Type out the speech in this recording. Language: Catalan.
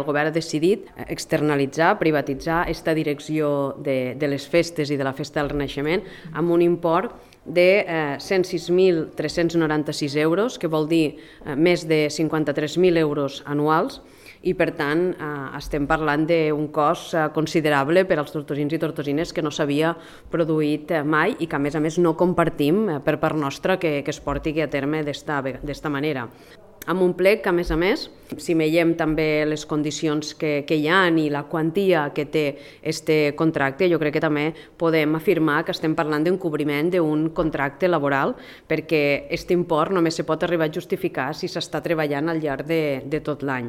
El govern ha decidit externalitzar, privatitzar aquesta direcció de les festes i de la Festa del Renaixement amb un import de 106.396 euros, que vol dir més de 53.000 euros anuals, i per tant estem parlant d'un cost considerable per als tortosins i tortosines que no s'havia produït mai i que a més no compartim per part nostra que es porti a terme d'esta manera. Amb un plec que, a més, si veiem també les condicions que hi ha i la quantia que té aquest contracte, jo crec que també podem afirmar que estem parlant d'un cobriment d'un contracte laboral, perquè aquest import només se pot arribar a justificar si s'està treballant al llarg de tot l'any.